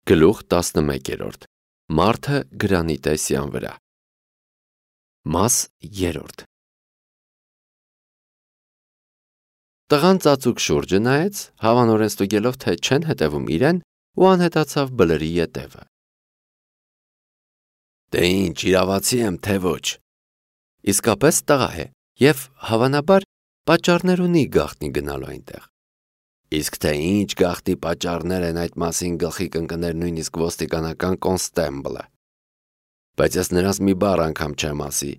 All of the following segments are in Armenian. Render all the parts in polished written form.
Գլուխ 11. Մարդը գրանիտե սյան վրա։ Մաս 3. Տղան ծածուկ շուրջը նայեց, հավանորեն ստուգելով, թե չեն հետևում իրեն, ու անհետացավ բլրի ետևը։ Դե ինչ, իրավացի եմ, թե ոչ։ Իսկապես տղա է, և հավանաբար պատճառներ ունի գաղտնի գնալու այնտեղ։ Իսկ թե ինչ գաղտնի պատճառներ են, այդ մասին գլխի կընկներ նույնիսկ ոստիկանական կոնստեբլը։ Բայց ես նրանց մի բառ անգամ չեմ ասի,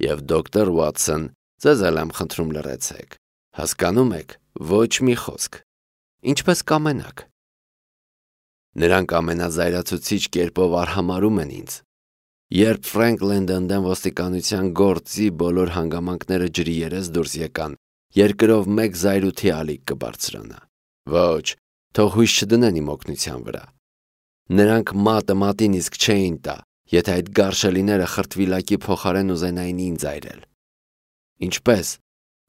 և դոկտոր Ուաթսոն, ձեզ էլ եմ խնդրում լռեցեք։ Հասկանում եք, ոչ մի խոսք։ Ինչպես կամենաք։ Նրանք ամենազայրացուցիչ կերպով արհամարհում են ինձ։ Երբ Ֆրենկլին Դնդեն ոստիկանության գործի բոլոր հանգամանքները ջրի երես դուրս եկան, երկրով մեկ զայրույթի ալիք կբարձրանա։ Ոչ, թող հույս չդնեն իմ օգնության վրա։ Նրանք մատը մատին իսկ չէին տա, եթե այդ գարշելիները խրտվիլակի փոխարեն ուզենային ինձ այրել։ Ինչպես,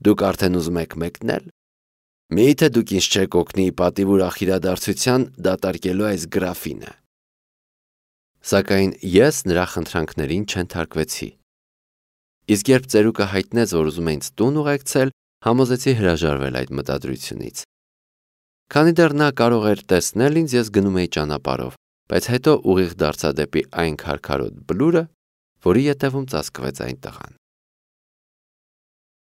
դուք արդեն ուզում եք մեկնել։ Միթե դուք ինձ չեք օգնի պատիվ ուրախ իրադարձության դատարկելու այս գրաֆինը։ Սակայն ես նրա խնդրանքներին չենթարկվեցի։ Իսկ երբ ծերուկը հայտնեց, որ ուզում է ինձ տուն ուղեկցել, համոզեցի հրաժարվել այդ մտադրությունից։ Քանի դեռ նա կարող էր տեսնել ինձ, ես գնում էի ճանապարհով, բայց հետո ուղիղ դարձա դեպի այն քարքարոտ բլուրը, որի ետևում ծածկվեց այն տղան։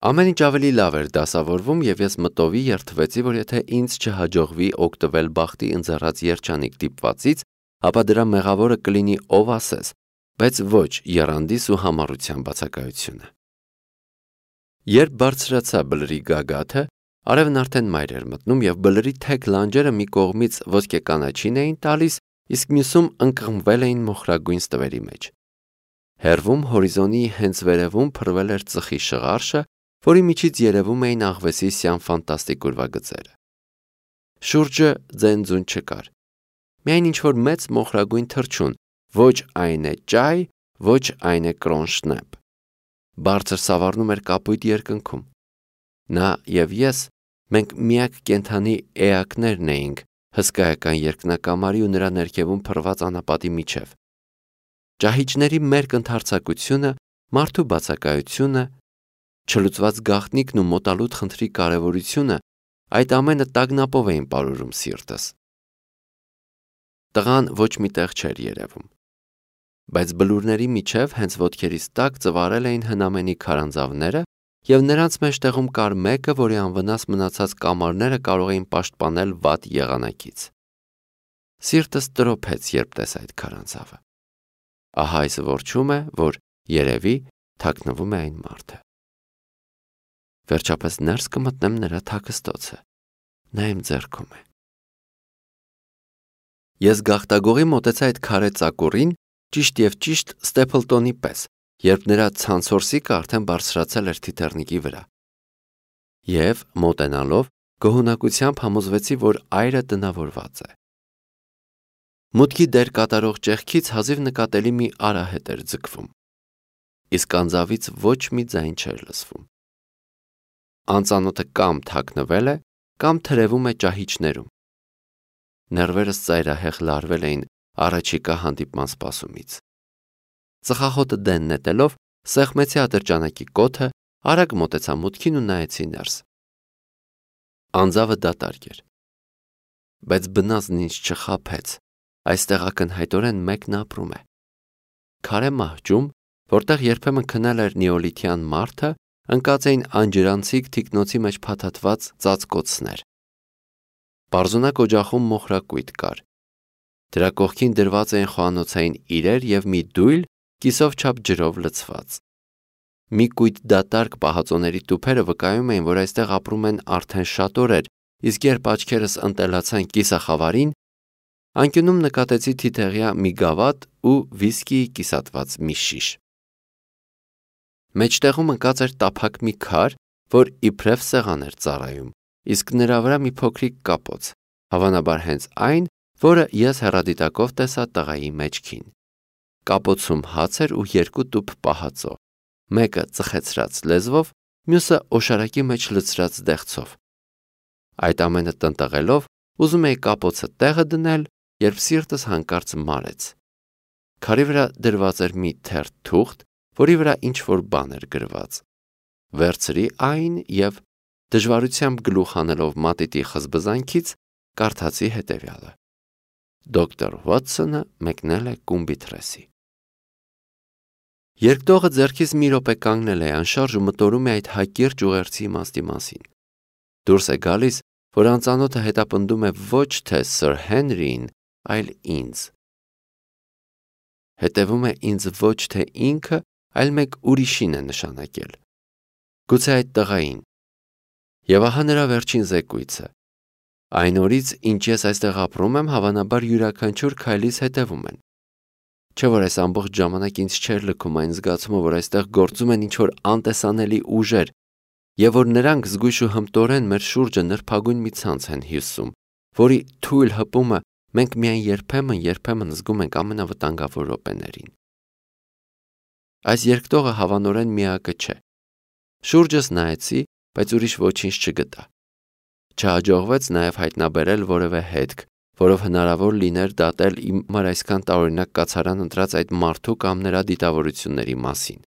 Ամեն ինչ ավելի լավ էր դասավորվում, և ես մտովի երդվեցի, որ եթե ինձ չհաջողվի օգտվել բախտի ընձեռած երջանիկ դիպվածից, ապա դրա մեղավորը կլինի ով ասես, բայց ոչ եռանդիս ու համառության բացակայությունը։ Երբ բարձրացա բլրի գագաթը, արևն արդեն մայր էր մտնում, և բլրի թեք լանջերը մի կողմից ոսկե կանաչին էին տալիս, իսկ մյուսում ընկղմվել էին մոխրագույն ստվերի մեջ։ Հեռվում հորիզոնի հենց վերևում փռվել էր ծխի շղարշը, որի միջից երևում էին աղվեսի սյան ֆանտաստիկ ուրվագծերը։ Շուրջը ձեն-ձուն չկար։ Միայն ինչ-որ մեծ մոխրագույն թռչուն, ոչ այն է ճայ, ոչ այն է կրոնշնեպ։ Բարձր սավառնում էր կապույտ երկնքում։ Նա և ես, մենք միակ կենդանի էակներն էինք հսկայական երկնակամարի ու նրա ներքևում փռված անապատի միջև։ Ճահիճների մերկ ընդարձակությունը, մարդու բացակայությունը, չլուծված գաղտնիքն ու մոտալուտ խնդրի կարևորությունը, այդ ամենը տագնապով էին պարուրում սիրտս։ Տղան ոչ մի տեղ չէր երևում։ Բայց բլուրների միջև հենց ոտքերիս տակ ծվարել էին հնամենի քարանձավները, և նրանց մեջտեղում կար մեկը, որի անվնաս մնացած կամարները կարող էին պաշտպանել վատ եղանակից։ Սիրտս տրոփեց, երբ տեսա այդ քարանձավը։ Ահա այս որչում է, որ երևի թաքնվում է այն մարդը։ Վերջապես ներս կմտնեմ նրա թաքստոցը։ Նա իմ ձեռքում է։ Ես գաղտագողի մոտեցա այդ քարե ծակուրին, ճիշտ և ճիշտ Ստեփլտոնի պես, երբ նրա ցանցորսիկը արդեն բարձրացել էր թիթեռնիկի վրա։ Եվ, մոտենալով, գոհունակությամբ համոզվեցի, որ այրը տնավորված է։ Մուտքի դեր կատարող ճեղքից հազիվ նկատելի մի արահետ էր ձգվում։ Իսկ անձավից ոչ մի ձայն չէր լսվում։ Անծանոթը կամ թաքնվել է, կամ թրևում է ճահիճներում։ Նեռվերս ծայրահեղ լարվել էին առաջիկա հանդիպման սպասումից։ Ծխախոտը դեն նետելով, սեղմեցի ատրճանակի կոթը, արագ մոտեցա մուտքին ու նայեցի ներս։ Անձավը դատարկ էր։ Բայց բնածն ինձ չխաբեց, այստեղ ակնհայտորեն մեկն ապրում է։ Քարե մահճում, որտեղ երբեմն քնել էր նեոլիթյան մարդը, ընկած էին անջրանցիկ թիկնոցի մեջ փաթաթված ծածկոցներ։ Պարզունակ օջախում մոխրակույտ կար։ Դրա կողքին դրված էին խոհանոցային իրեր և մի դույլ, կիսով չափ ջրով լցված։ Մի կույտ դատարկ պահածոների տուփերը վկայում էին, որ այստեղ ապրում են արդեն շատ օրեր, իսկ երբ աչքերս ընտելացան կիսախավարին, անկյունում նկատեցի թիթեղյա մի գավաթ ու վիսկիի կիսատված մի շիշ։ Մեջտեղում ընկած էր տափակ մի քար, որ իբրև սեղան էր ծառայում, իսկ նրա վրա մի փոքրիկ կապոց, հավանաբար հենց այն, որը ես հեռադիտակով տեսա տղայի մեջքին։ Կապոցում հաց էր ու երկու տուփ պահածո, մեկը ծխեցրած լեզվով, մյուսը օշարակի մեջ լցրած դեղցով։ Այդ ամենը տնտղելով, ուզում էի կապոցը տեղը դնել երբ սիրտս հանկարծ մարեց։ Քարի վրա դրված էր մի թերթ թուղթ, որի վրա ինչ-որ բան էր գրված։ Վերցրի այն և դժվարությամբ գլուխ հանելով մատիտի խզբզանքից կարդացի հետևյալը. Դոկտոր Վոթսոնը մեկնել է Կումբիթրեսի։ Երկտողը ձեռքից մի րոպե կանգնել է անշարժ ու մտորում է այդ հակիրճ ուղերձի իմաստի մասին։ Դուրս է գալիս, որ անծանոթը հետապնդում է ոչ թե Սըր Հենրիին, այլ ինձ։ Հետևում է ինձ ոչ թե ինքը, այլ մեկ ուրիշին է նշանակել։ Գուցե այդ տղային։ Եվ ահա նրա վերջին զեկույցը։ Այն օրից, ինչ ես այստեղ ապրում եմ, հավանաբար յուրաքանչյուր քայլից հետևում են։ Չէ՞ որ այս ամբողջ ժամանակ ինձ չէր լքում այն զգացումը, որ այստեղ գործում են ինչ-որ անտեսանելի ուժեր, եւ որ նրանք զգույշ ու հմտորեն մեր շուրջը նրբագույն մի ցանց են հյուսում, որի թույլ հպումը մենք միայն երբեմն զգում ենք ամենավտանգավոր րոպեներին։ Այս երկտողը հավանորեն միակը չէ։ Շուրջս նայեցի, բայց ուրիշ ոչինչ չգտա։ Չհաջողվեց նաև հայտնաբերել որևէ հետք, որով հնարավոր լիներ դատել իմ համար այսքան տարօրինակ կացարան ընտրած այդ մարդու կամ նրա դիտավորությունների մասին։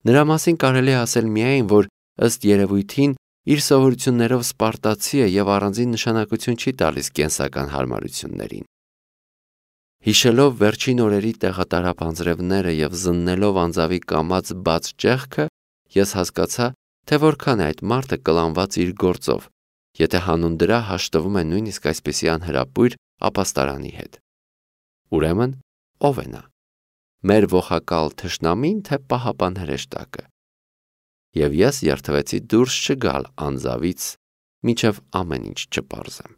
Նրա մասին կարելի է ասել միայն, որ ըստ երևույթին իր սովորություններով սպարտացի է եւ առանձին նշանակություն չի տալիս կենսական հարմարություններին։ Հիշելով վերջին օրերի տեղատարապ անձրևները եւ զննելով անձավի կամած բաց ճեղքը, ես հասկացա, թե որքան է այդ մարդը կլանված իր գործով, եթե հանուն դրա հաշտվում է նույնիսկ այսպիսի անհրապույր ապաստարանի հետ։ Ուրեմն, ով է նա։ Մեր ողակալ թշնամին, թե պահապան հրեշտակը։ Եվ ես երթվեցի դուրս չգալ անձավից, մինչև ամեն ինչ չպարզեմ։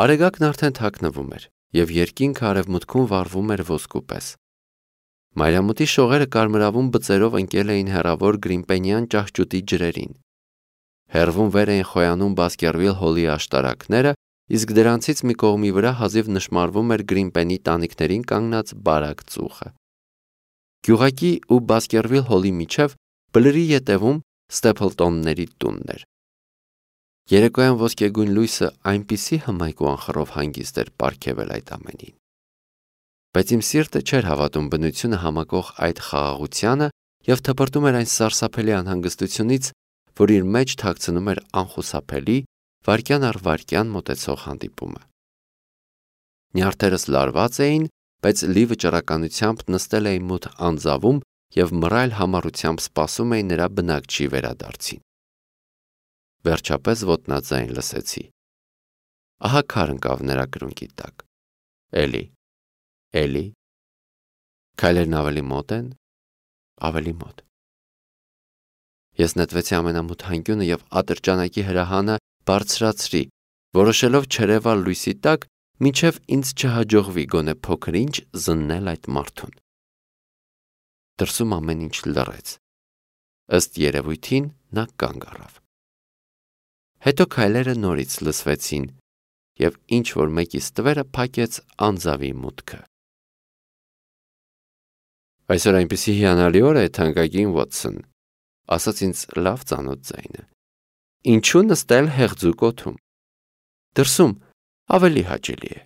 Արեգակն արդեն թաքնվում էր, եւ երկինքը արևմուտքում վառվում էր ոսկու պես։ Մայրամուտի շողերը կարմրավուն բծերով ընկել էին հեռավոր գրիմպենյան ճահճուտի ջրերին։ Հեռվում վեր էին խոյանում Բասկերվիլ հոլի աշտարակները, իսկ դրանցից մի կողմի վրա հազիվ նշմարվում էր Գրիմպենի տանիքներին կանգնած բարակ ծուխը։ Գյուղակի ու Բասկերվիլ հոլի միջև բլրի ետևում Ստեփլտոնների տունն էր։ Երեկոյան ոսկեգույն լույսը այնպիսի հմայք ու անխռով հանգիստ էր պարգևել այդ ամենին։ Բայց իմ սիրտը չէր հավատում բնությունը համակող այդ խաղաղությանը եւ թպրտում էր այն սարսափելի անհանգստությունից, որ իր մեջ թաքցնում էր անխուսափելի, վայրկյան առ վայրկյան մոտեցող հանդիպումը։ Նյարդերս լարված էին, բայց լի վճռականությամբ նստել էի մութ անձավում եւ մռայլ համառությամբ սպասում էի նրա բնակչի վերադարձին։ Վերջապես ոտնաձայն լսեցի։ Ահա քար ընկավ նրա կրունկի տակ։ Էլի։ Քայլերն ավելի մոտ են, ավելի մոտ։ Ես նետվեցի ամենամութ հանկյունը եւ ատրճանակի հրահանը բարձրացրի, որոշելով չերևալ լույսի տակ, մինչև ինձ չհաջողվի գոնե փոքր-ինչ զննել այդ մարդուն։ Դրսում ամեն ինչ լռեց։ Ըստ երևույթին նա կանգ առավ։ Հետո քայլերը նորից լսվեցին, եւ ինչ-որ մեկի ստվերը փակեց անձավի մուտքը։ Այսօր այնպիսի հիանալի օր է, թանկագին Վոթսոն, ասաց ինձ լավ ծանոթ ձայնը։ Ինչու նստել հեղձուկ օդում։ Դրսում ավելի հաճելի է։